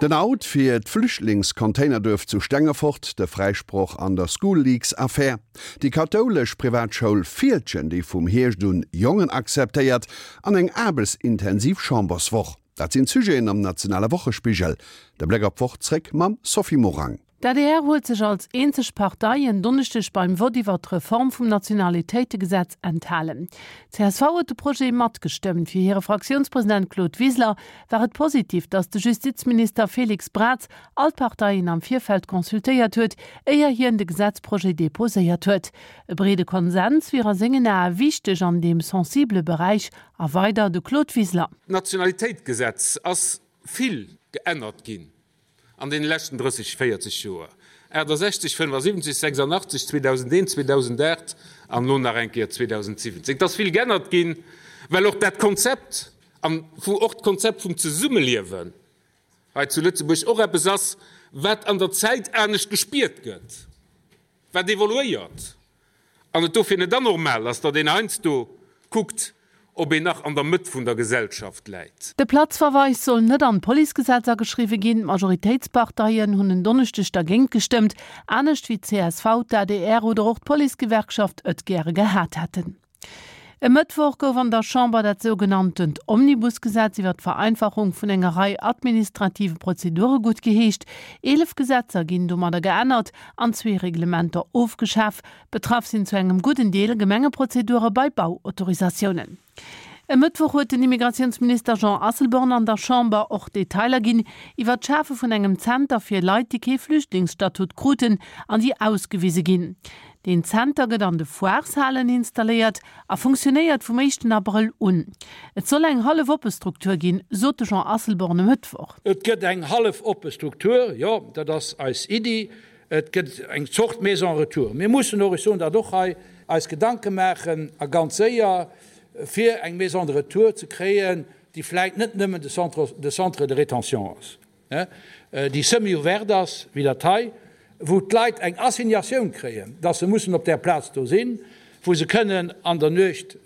Den Out fir d'Flüchtlingscontainerduerf zu Stengefort, de Fräisproch an der School-Leaks-Affär, déi kathoulesch Privatschoul Fieldgen, déi vum Hierscht un Jongen akzeptéiert, an eng aarbechtsintensiv Chamberswoch, dat sinn d'Sujeten am nationale Wochespigel. De Bléck op d'Woch zréck mam Sophie Morang. D'adr huet sech als eenzeg Partei en Donneschdeg beim Vott iwwer d'Reform vum Nationalitéitegesetz enthalen. Csv huet de Projet matgestëmmt. Fir hire Fraktiounspresident Claude Wiseler war et positiv, datt de Justizminister Félix Braz all d'Parteien am Virfeld consultéiert huet, éier hien de Gesetzprojet deposéiert huet. E breede Konsens wier a sengen Ae wichteg an deem sensibele Beräich, a weider de Claude Wiseler. D'Nationalitéitgesetz ass vill geännert ginn An deene leschten 30, 40 Joer, 68, 75, 86, 2001, 2008 an elo nach eng Kéier 2017, et ass vill geännert ginn, well och dat Konzept an wou och d'Konzept vum Zesummeliewen hei zu Lëtzebuerg och eppes ass, wat an der Zäit anescht gespiert gëtt, wat evoluéiert. An et dofir net anormal ass, datt een heiansdo kuckt, ob een nach an der Mëtt vun der Gesellschaft läit. De Platzverweis soll net an d'Policegesetz ageschriwwe ginn. D'Majoritéitsparteien hunn en Donneschdeg dergéint gestëmmt, anescht wéi d'CSV, d'ADR oder och d'Policegewerkschaft et gäre gehat hätten. E Mëttwoch gouf an der Chamber dat sougenanntent Omnibusgesetz iwwer d'Vereinfachung vun enger Rei administrative Prozedure guttgeheescht. 11 Gesetzer ginn domadder geännert an zwee Reglementer ofgeschaf. Betraff sinn zu engem gudden Deel Gemengeprozedure bei Bauautorisatiounen. E Mëttwoch huet den Immigratiounsminister Jean Asselborn an der Chamber och Detailer ginn iwwer d'Schafe vun engem Zenter fir Leit, déi kee Flüchtlingsstatut kruten an déi ausgewise ginn. Deen Zenter gëtt an de Foireshalen installéiert a funktionéiert vum éischten Abrëll un. Et soll eng hallef oppe Struktur ginn, sot de Jean Asselborn e Mëttwoch. Et gëtt eng hallef oppe Struktur, jo, dat ass eis Iddi. Et gëtt eng Zort Maison retour. Mir mussen och, ech soen dat och hei, eis Gedanke maachen a ganz séier, fir eng Maison de retour ze kréien, déi vläicht net nëmmen de Centre de rétention ass. déi semi-ouverte ass, wéi dat hei, wou d'Leit eng Assignatioun kréien, dass se mussen op där Plaz do sinn, wou se kënnen an der Nuecht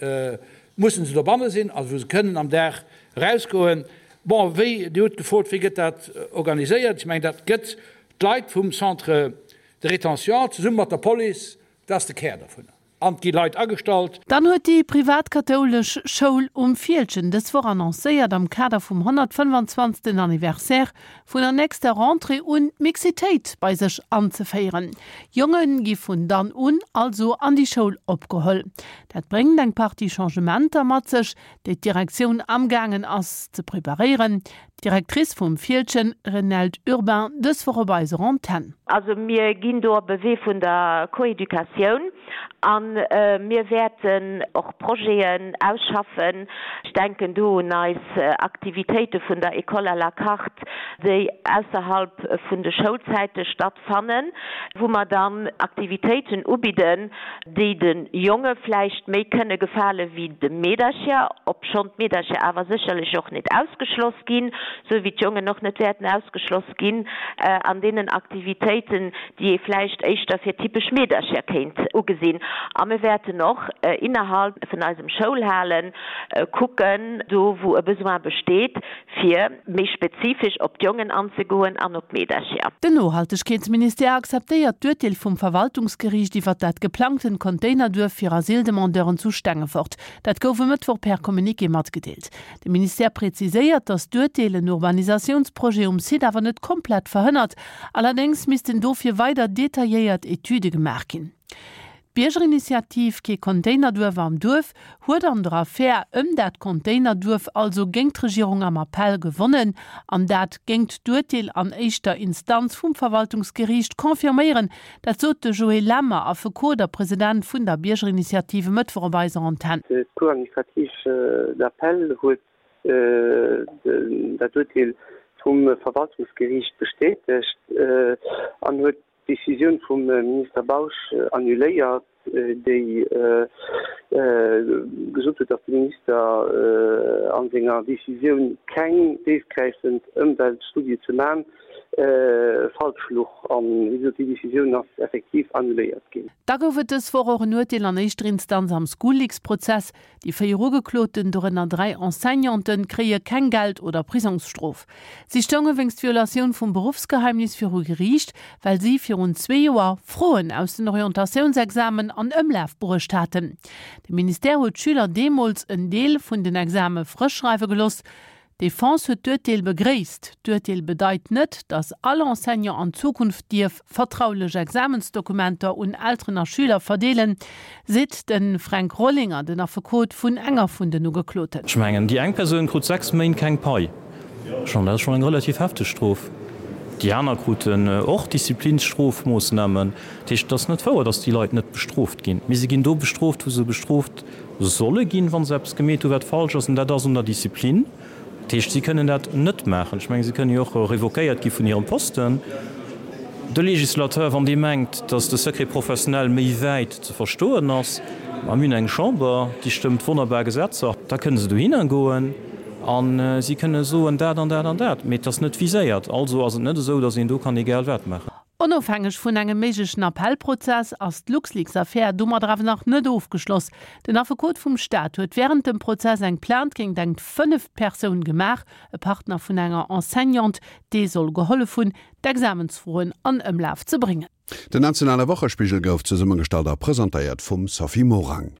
mussen se dobanne sinn, also wou se kënnen am Dag erausgoen. Bon, wéi, Dir hutt gefrot, wéi gëtt dat organiséiert? Ech mengen, dat gëtt d'Leit vum Centre de rétention zesumme mat der Police, dat ass de Kär dovunner. An et gi Leit agestallt. Dann huet déi privat-kathoulesch Schoul um Fieldgen dës Woch annoncéiert, am Kader vum 125. Anniversaire vun der nächster Rentrée un d'Mixitéit bei sech anzeféieren. Jonge gi vun dann un also an déi Schoul opgeholl. Dat bréngt eng Partie Changementer mat sech, déi d'Direktioun amgaangen ass ze preparéieren. D'Directrice vum Fieldgen, Renelde Urbain, dës Woch op eiser Antenn. Also mir ginn do op e Wee vun der Coeducatioun a mir wäerten och Projeten ausschaffen. Ech denken do un eis Aktivitéite vun der École à la carte, déi ausserhalb vun de Schoulzäite stattfannen, wou mer dann Aktivitéiten ubidden, déi de Jonge vläicht méi kënne gefale wéi de Meedercher, obschonn d'Meedercher awer sécherlech och net ausgeschloss ginn, sou wéi d'Jongen och net wäerten ausgeschloss ginn an deenen Aktivitéiten, déi ee vläicht éischter fir typesch Meedercher kéint ugesinn. A mir wäerten och innerhalb vun eisem Schoulhale kucken, do wou e Besoin besteet, fir méi spezifesch op d'Jongen anzegoen an op d'Meedercher. Den Nohaltegkeetsministère akzeptéiert d'Urteel vum Verwaltungsgeriicht iwwert dat geplangtent Containerduerf fir Asyldemandeuren zu Stengefort. Dat gouf e Mëttwoch per Communiqué matgedeelt. De Ministère präziséiert, datt d'Urteel en Urbanisatiounsprojet um Site awer net komplett verhënnert. Allerdéngs missten dofir weider detailléiert Etüde gemaach ginn. D'Biergerinitiativ Kee Containerduerf am Duerf huet an der Affär ëm dat Containerduerf also géingt d'Regierung am Appell gewonnen an dat géingt d'Urteel an éischter Instanz vum Verwaltungsgeriicht confirméieren. Dat sot de Joé Lemmer, Affekot a President vun der Biergerinitiative e Mëttwoch op eiser Antenn. D'Cour administrative d'appel huet dat Urteel vum Verwaltungsgeriicht bestätegt an huet d'Decisioun vum Minister Bausch annuléiert, déi gesot huet, datt de Minister a senger Decisioun keng déifgräifend Ëmweltstudie ze man. Falsch luch. An, wéi gesot, déi Decisioun ass effektiv annuléiert ginn. Da gouf et dës Woch och en Urteel an éischter Instanz am School-Leaks-Prozess. Déi 4 Ugekloten, dorënner 3 Enseignanten, kréie keng Geld oder Prisongsstrof. Si stounge wéinst Violatioun vum Beruffsgeheimnis viru Geriicht, well si virun zwee Joer Froen aus den Orientatiounsexamen an Ëmlaf bruecht haten. De Ministère huet d'Schüler deemools en Deel vun den Exame frësch schreiwe geloss. D'Defense huet d'Urteel begréisst. D'Urteel bedeit net, datt all Enseignant an Zukunft dierf vertraulech Examensdokumenter un Elteren a Schüler verdeelen, seet de Fränk Rollinger, den Affekot vun enger vun den Ugekloten. Ech mengen, déi eng Persoun krut 6 Méint keng Pai. Schonn, dat ass schonn eng relativ hefteg Strof. Déi aner kruten och Disziplinsstrofmoossnamen. Dat heescht, et ass net wouer, datt déi Leit net bestrooft ginn. Mee se ginn do bestrooft, wou se bestrooft solle ginn, wa se eppes gemeet hu wat falsch ass, an dat ass un der Disziplin. Dat heescht, si kënnen dat net maachen. Ech mengen, si kënnen jo och revoquéiert gi vun hirem Posten. De Législateur, wann dee mengt, datt de Secret professionnel méi wäit ze verstoen ass, ma mir hunn eng Chamber, déi stëmmt wonnerbar Gesetzer, da kënne se dohinner goen a si kënne soen, dat an dat an dat, mee et ass net viséiert. Also ass et net esou, datt een do kann egal wat maachen. Onofhängeg vun engem méiglechen Appellprozess ass d'LuxLeaks-Affär domadder awer nach net ofgeschloss. Den Affekot vum Staat huet wärend dem Prozess eng Plainte géint eng fënneft Persoun gemaach, e Partner vun enger Enseignante, dee soll gehollef hunn, d'Examensfroen an Ëmlaf ze bréngen. Den nationale Wochespigel gouf zesummegestallt a presentéiert vum Sophie Morang.